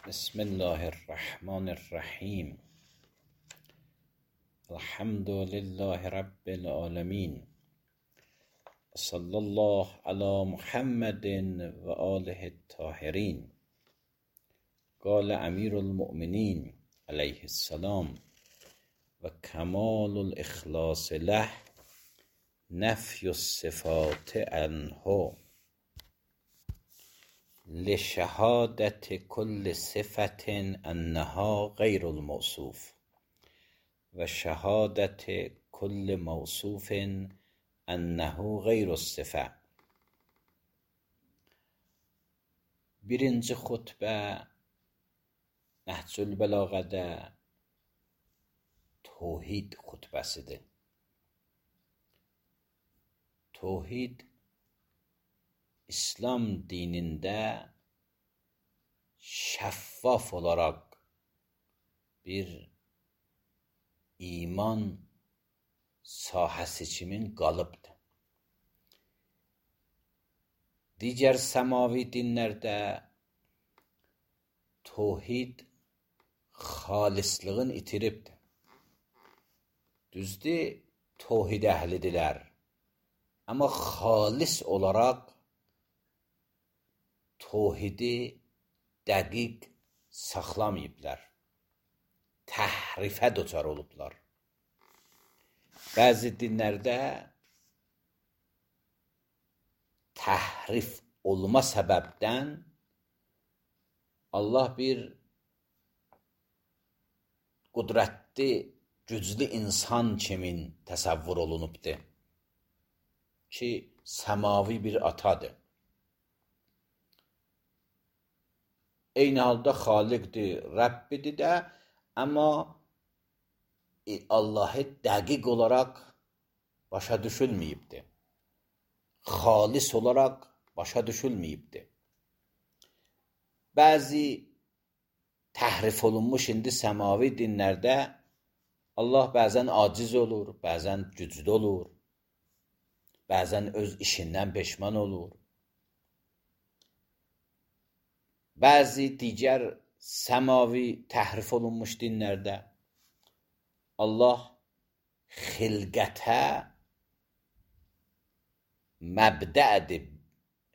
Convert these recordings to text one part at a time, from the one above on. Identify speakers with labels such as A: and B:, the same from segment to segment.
A: بسم الله الرحمن الرحیم. الحمد لله رب العالمین. صلی الله علی محمد و آله الطاهرین. قال امیر المؤمنین علیه السلام: و کمال الاخلاص له نفی الصفات عنه لشهادت کل صفت انها غیر الموصوف و شهادت کل موصوف انه غیر الصفه. Birinci xutbə Nəhcül Bəlağədə Tohid xutbəsidir. Tohid İslam dinində şəffaf olaraq bir iman sahəsi kimi qalıbdır. Digər səmavi dinlərdə tohid xalislığın itiribdir. Düzdür, tohid əhlidirlər. Amma xalis olaraq tohidi dəqiq saxlamayıblar. Təhrifə düçar olublar. Bəzi dinlərdə təhrif olma səbəbdən Allah bir qudrətli, güclü insan kimi təsəvvür olunubdur ki, səmavi bir atadır. Eyni halda xaliqdir, Rəbbidir də, amma Allahı dəqiq olaraq başa düşülməyibdir. Xalis olaraq başa düşülməyibdir. Bəzi təhrif olunmuş indi səmavi dinlərdə Allah bəzən aciz olur, bəzən güclü olur, bəzən öz işindən peşman olur. Bəzi digər səmavi təhrif olunmuş dinlərdə Allah xilqətə məbdədir,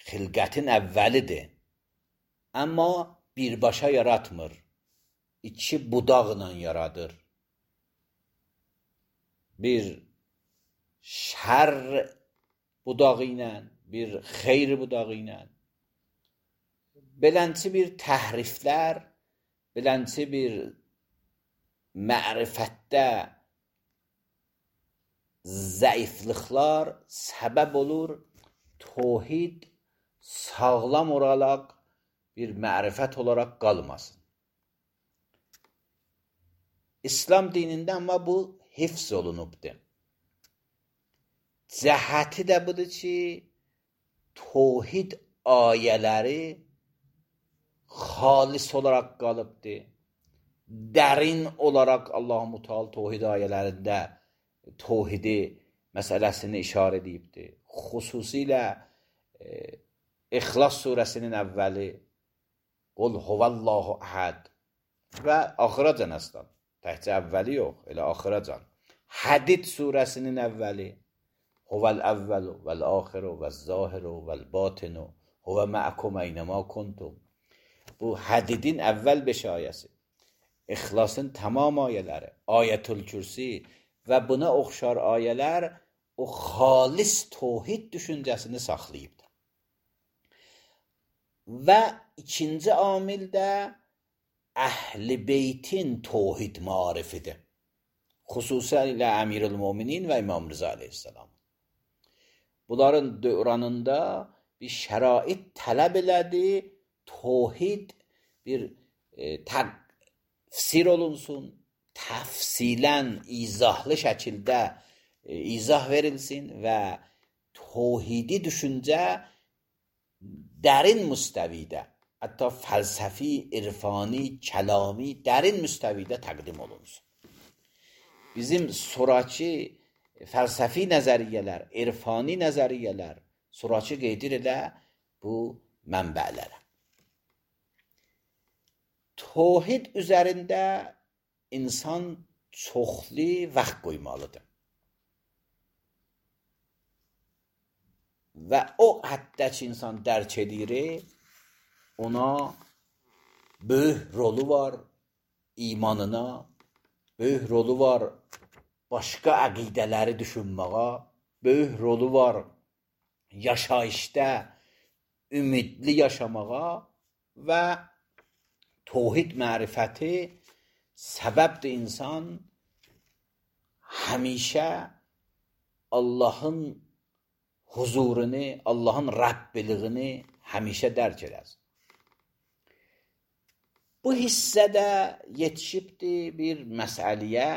A: xilqətin əvvəlidir. Amma birbaşa yaratmır, iki budaqla yaradır. Bir şər budağı ilə, bir xeyr budağı ilə. Belənçi bir təhriflər, belənçi bir mərifətdə zəifliklər səbəb olur, tohid sağlam olaraq bir mərifət olaraq qalmasın. İslam dinində amma bu hifz olunubdur. Cəhəti də budur ki, tohid ayələri xalis olaraq qalıbdır. Dərin olaraq Allah-u Teala tohid ayələrində tohidi məsələsini işarə edibdir. Xüsusilə İxlas surəsinin əvvəli Qul huvallahu əhəd və axıracan əslən. Təhcə əvvəli yox, elə axıracan. Hədid surəsinin əvvəli Huvel əvvəlu vəl-axiru vəz-zahiru vəl-batinu huvə məəkum əynəmə kuntum. Bu hədidin əvvəl 5 ayəsi. İxlasın tamam ayələri, Ayətül Kürsi və buna oxşar ayələr o xalis tohid düşüncəsini saxlayıbdır. Və ikinci amil də Əhl-i Beytin tohid marifidir. Xüsusilə Əmirül-Müminin və İmam Rıza aleyhisselam. Bunların dövründə bir şərait tələb elədi, tohid bir təfsir olunsun, təfsilən, izahlı şəkildə izah verilsin və tohidi düşüncə dərin müstəvidə, hətta fəlsəfi, irfani, kəlami, dərin müstəvidə təqdim olunsun. Bizim sonraki fəlsəfi nəzəriyyələr, irfani nəzəriyyələr sonraki qeyd edilə bu mənbələrə. Tohid üzərində insan çoxlu vaxt qoymalıdır. Və o həddə ki, insan dərk edir, ona böyük rolu var imanına, böyük rolu var başqa əqidələri düşünməyə, böyük rolu var yaşayışda ümidli yaşamağa və tohid mərifəti səbəbdir insan həmişə Allahın huzurunu, Allahın Rəbbiliyini həmişə dərk edəsin. Bu hissədə yetişibdir bir məsələyə,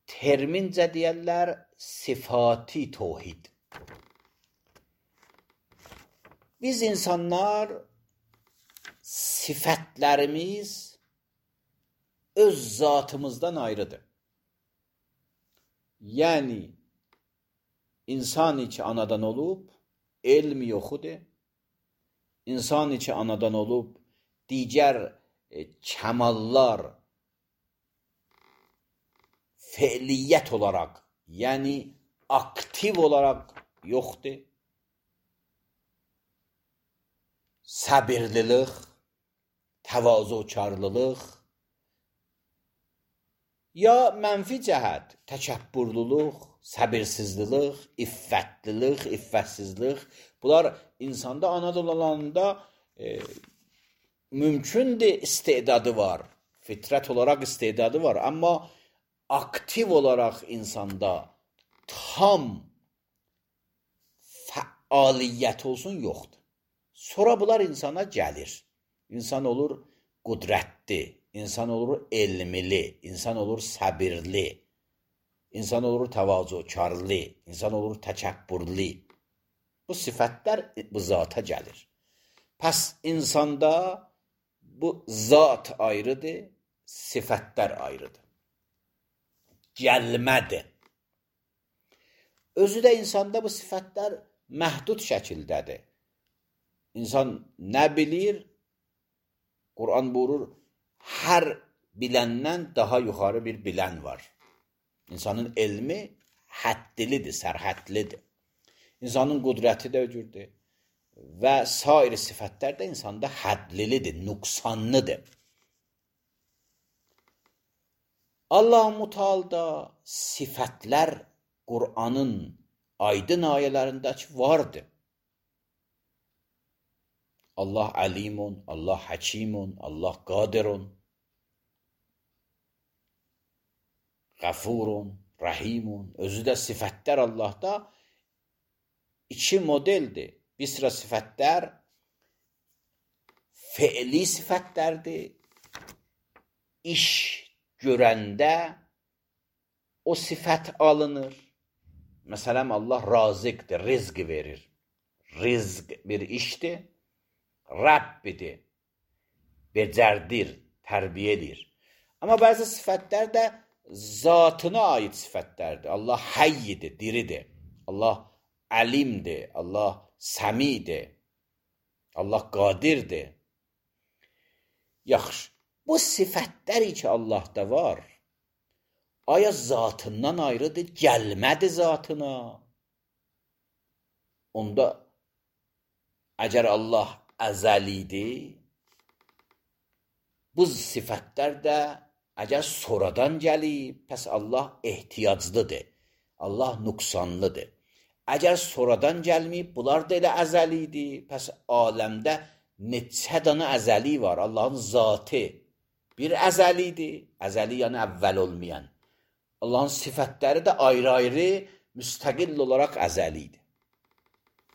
A: termincə deyərlər sifati tohid. Biz insanlar sifətlərimiz öz zatımızdan ayrıdır. Yəni, insan ki anadan olub, elm yoxudur. İnsan ki anadan olub, digər kəmallar feiliyyət olaraq, yəni aktiv olaraq yoxdur. Səbirlilik, təvazökarlılıq, ya mənfi cəhət, təkəbbürlülük, səbirsizlik, iffətlilik, iffətsizlik, bunlar insanda anadan olanda mümkündür istedadı var, fitrət olaraq istedadı var, amma aktiv olaraq insanda tam fəaliyyət olsun yoxdur. Sonra bunlar insana gəlir. İnsan olur qudrətli, insan olur elmli, insan olur səbirli, insan olur təvazökarlı, insan olur təkəbbürlü. Bu sifətlər bu zata gəlir. Pəs insanda bu zat ayrıdır, sifətlər ayrıdır. Gəlmədir. Özü də insanda bu sifətlər məhdud şəkildədir. İnsan nə bilir? Quran buyurur, hər biləndən daha yuxarı bir bilən var. İnsanın elmi həddlidir, sərhədlidir. İnsanın qudrəti də öcürdür. Və sair sifətlər də insanda hədlidir, nüqsanlıdır. Allah-u Teala sifətlər Quranın aydın ayələrindəki vardır. Allah alimun, Allah hakimun, Allah qadirun, Qafurun, Rahimun. Özü də sifətlər Allahda iki modeldir. Bir sıra sifətlər feili sifətlərdir. İş görəndə o sifət alınır. Məsələn, Allah razıqdır, rizq verir. Rizq bir işdir. Rəbbidir, becərdir, tərbiyə edir. Amma bəzi sifətlər də zatına aid sifətlərdir. Allah həyyidir, diridir. Allah əlimdir, Allah səmidir, Allah qadirdir. Yaxşı, bu sifətlər ki Allahda var, aya zatından ayrıdır, gəlmədi zatına. Onda əgər Allah əzəlidir, bu sifətlər də əgər sonradan gəlib, pəs Allah ehtiyaclıdır, Allah nüqsanlıdır. Əgər sonradan gəlməyib, bunlar da elə əzəlidir, pəs aləmdə neçə dana əzəli var, Allahın zatı bir əzəlidir, əzəli yəni əvvəl olmayan. Allahın sifətləri də ayrı-ayrı, müstəqil olaraq əzəlidir.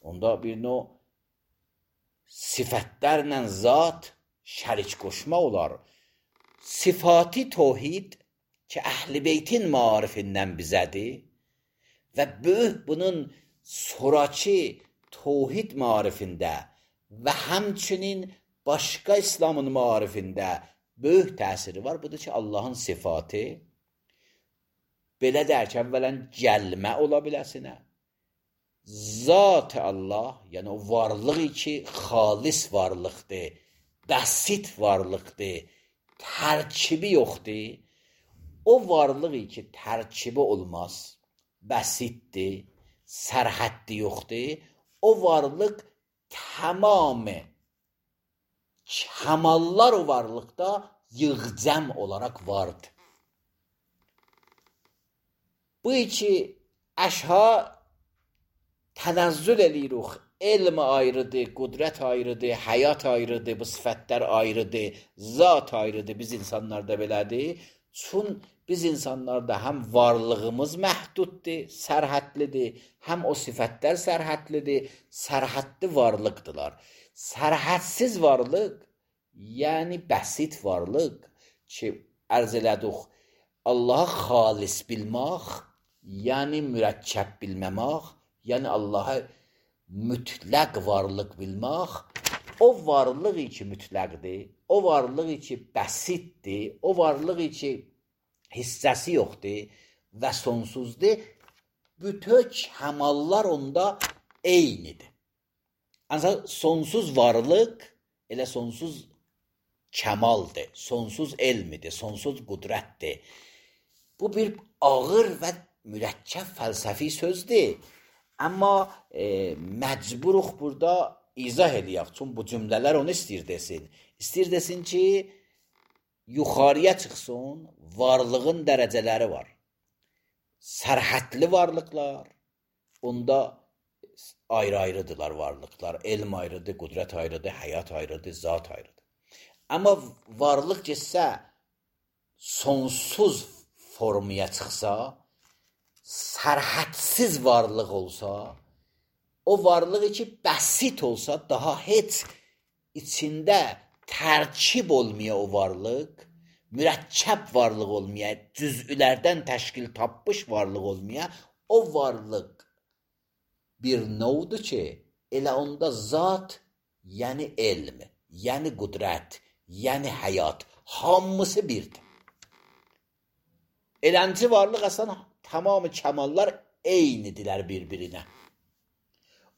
A: Onda bir növ sifətlərlə zat şərik qoşma olar. Sifati tohid ki, Əhl-i Beytin marifindən bizədir və böyük bunun sonraki tohid marifində və həmçinin başqa İslamın marifində böyük təsiri var. Budur ki, Allahın sifatı belə deyək ki, əvvələn gəlmə ola biləsinə. Zat-ı Allah, yəni o varlığı ki, xalis varlıqdır, bəsit varlıqdır, tərkibi yoxdur. O varlığı ki, tərkibi olmaz, bəsitdir, sərhəddi yoxdur, o varlıq tamamı kəmallar o varlıqda yığcam olaraq vardır. Bu iki əşha tənəzzül eləyirik. Elm ayrıdır, qudrət ayrıdır, həyat ayrıdır, bu sifətlər ayrıdır, zat ayrıdır, biz insanlarda belədir. Çün biz insanlarda həm varlığımız məhduddur, sərhədlidir, həm o sifətlər sərhədlidir, sərhədli varlıqdırlar. Sərhədsiz varlıq, yəni bəsit varlıq ki, ərz elədik, Allah'a xalis bilmək, yəni mürəkkəb bilməmək, yəni Allah'a mütləq varlıq bilmək, o varlığı ki mütləqdir, o varlığı ki bəsitdir, o varlığı ki hissəsi yoxdur və sonsuzdur, bütün kəmallar onda eynidir. Ancaq sonsuz varlıq elə sonsuz kəmaldır, sonsuz elmidir, sonsuz qudrətdir. Bu bir ağır və mürəkkəb fəlsəfi sözdür. Amma məcburuq burada izah eləyək. Çünki bu cümlələr onu istəyir desin. İstəyir desin ki, yuxarıya çıxsın, varlığın dərəcələri var. Sərhədli varlıqlar, onda ayrı-ayrıdırlar varlıqlar. Elm ayrıdır, qudrət ayrıdır, həyat ayrıdır, zat ayrıdır. Amma varlıq getsə, sonsuz formaya çıxsa, sərhədsiz varlıq olsa, o varlığı ki bəsit olsa, daha heç içində tərkib olmaya o varlıq, mürəkkəb varlıq olmaya, cüz'ülərdən təşkil tapmış varlıq olmaya, o varlıq bir növdür ki, elə onda zat, yəni elm, yəni qudrət, yəni həyat, hamısı birdir. Elənci varlıq əslən tamamı kəmallar eynidirlər bir-birinə.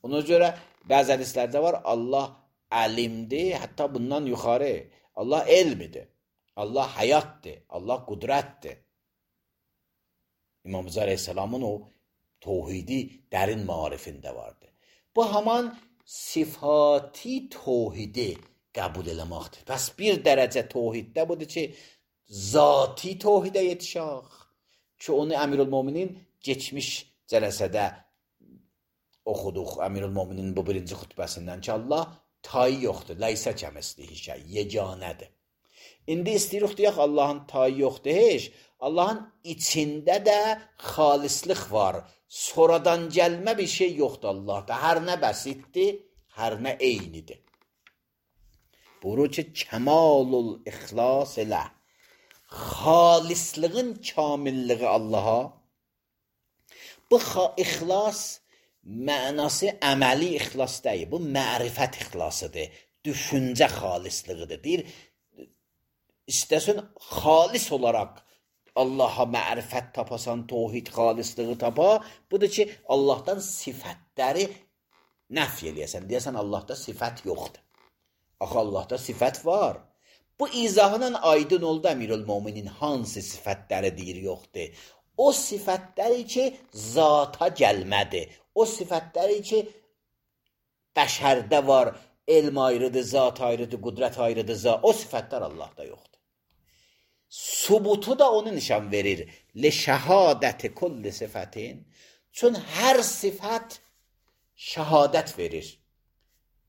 A: Ona görə bəzi hədislərdə var, Allah əlimdir, hətta bundan yuxarı, Allah elmidir, Allah həyatdır, Allah qudrətdir. İmam Rıza Aleyhisselamın o tohidi dərin marifində vardı. Bu haman sifati tohidi qəbul eləməkdir. Bəs bir dərəcə tohiddə budur ki, zati tohidə yetişək ki, onu Əmirül-Mominin geçmiş cələsədə oxuduq. Əmirül-Mominin bu birinci xütbəsindən ki, Allah tayı yoxdur, ləysə kəmislihi şey, yeganədir. İndi istəyirik deyək, Allahın tayı yoxdur heç, Allahın içində də xalislik var. Sonradan gəlmə bir şey yoxdur Allahda. Hər nə bəsitdir, hər nə eynidir. Buyurur ki, kəmalul ixlas elə. Xalisliğin kamilliği Allaha. Bu ixlas mənası əməli ixlas deyil. Bu mərifət ixlasıdır. Düşüncə xalisliğidir. Deyir, istəsən xalis olaraq Allaha mərifət tapasan, tohid xalisliği tapa, budur ki, Allahdan sifətləri nəf eləyəsən. Deyəsən, Allahda sifət yoxdur. Axı, Allahda sifət var. Bu izahından aydın oldu Əmirül-Mominin hansı sifətləri deyir yoxdur. O sifətləri ki, zata gəlmədi. O sifətləri ki, bəşərdə var, elm ayrıdır, zat ayrıdır, qudrət ayrıdır, o sifətlər Allahda yoxdur. Subutu da onu nişan verir. Le şəhadəti kulli sifətin. Çün hər sifət şəhadət verir.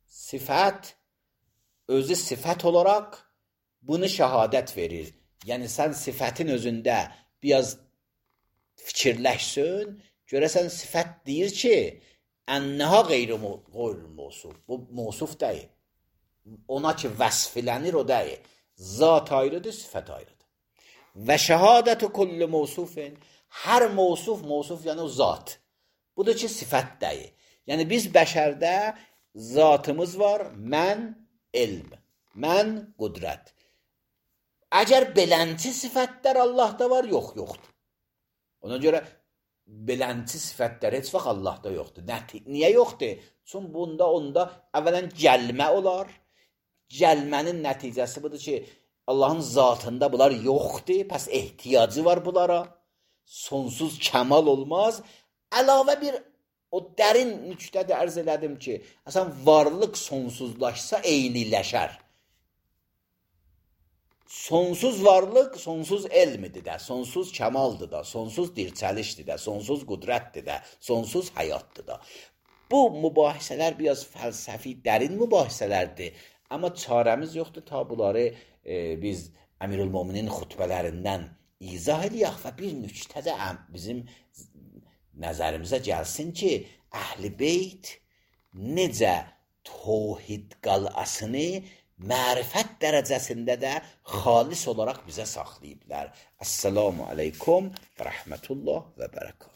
A: Sifət, özü sifət olaraq bunu şəhadət verir. Yəni, sən sifətin özündə biraz fikirləşsin, görəsən sifət deyir ki, ənəha qeyri-mosuf. Bu mosuf deyil. Ona ki, vəsfilənir o deyil. Zat ayrıdır, sifət ayrıdır. Və şəhadətü kulli mosufin. Hər mosuf yəni o zat. Budur ki, sifət deyil. Yəni, biz bəşərdə zatımız var, mən elm, mən qudrət. Əgər belənti sifətlər Allahda var, yoxdur. Ona görə belənti sifətlər heç vaxt Allahda yoxdur. Niyə yoxdur? Çünki bunda, onda əvvələn gəlmə olar. gəlmənin nəticəsi budur ki, Allahın zatında bunlar yoxdur, pəs ehtiyacı var bunlara. Sonsuz kəmal olmaz. Əlavə bir o dərin nüqtədə ərz elədim ki, əsən varlıq sonsuzlaşsa eyniləşər. Sonsuz varlıq, sonsuz elmidir də, sonsuz kəmaldır da, sonsuz dirçəlişdir də, sonsuz qüdrətdir də, sonsuz həyatdır da. Bu mübahisələr biraz fəlsəfi, dərin mübahisələrdir. Amma çarəmiz yoxdur ta bunları biz Əmirülmöminin xutbələrindən izah eləyək və bir nüqtə də bizim nəzərimizə gəlsin ki, Əhl-i Beyt necə tövhid qal'asını mərifət dərəcəsində də xalis olaraq bizə saxlayıblar. Əssalamu aleykum və rəhmətullah və bərəkət.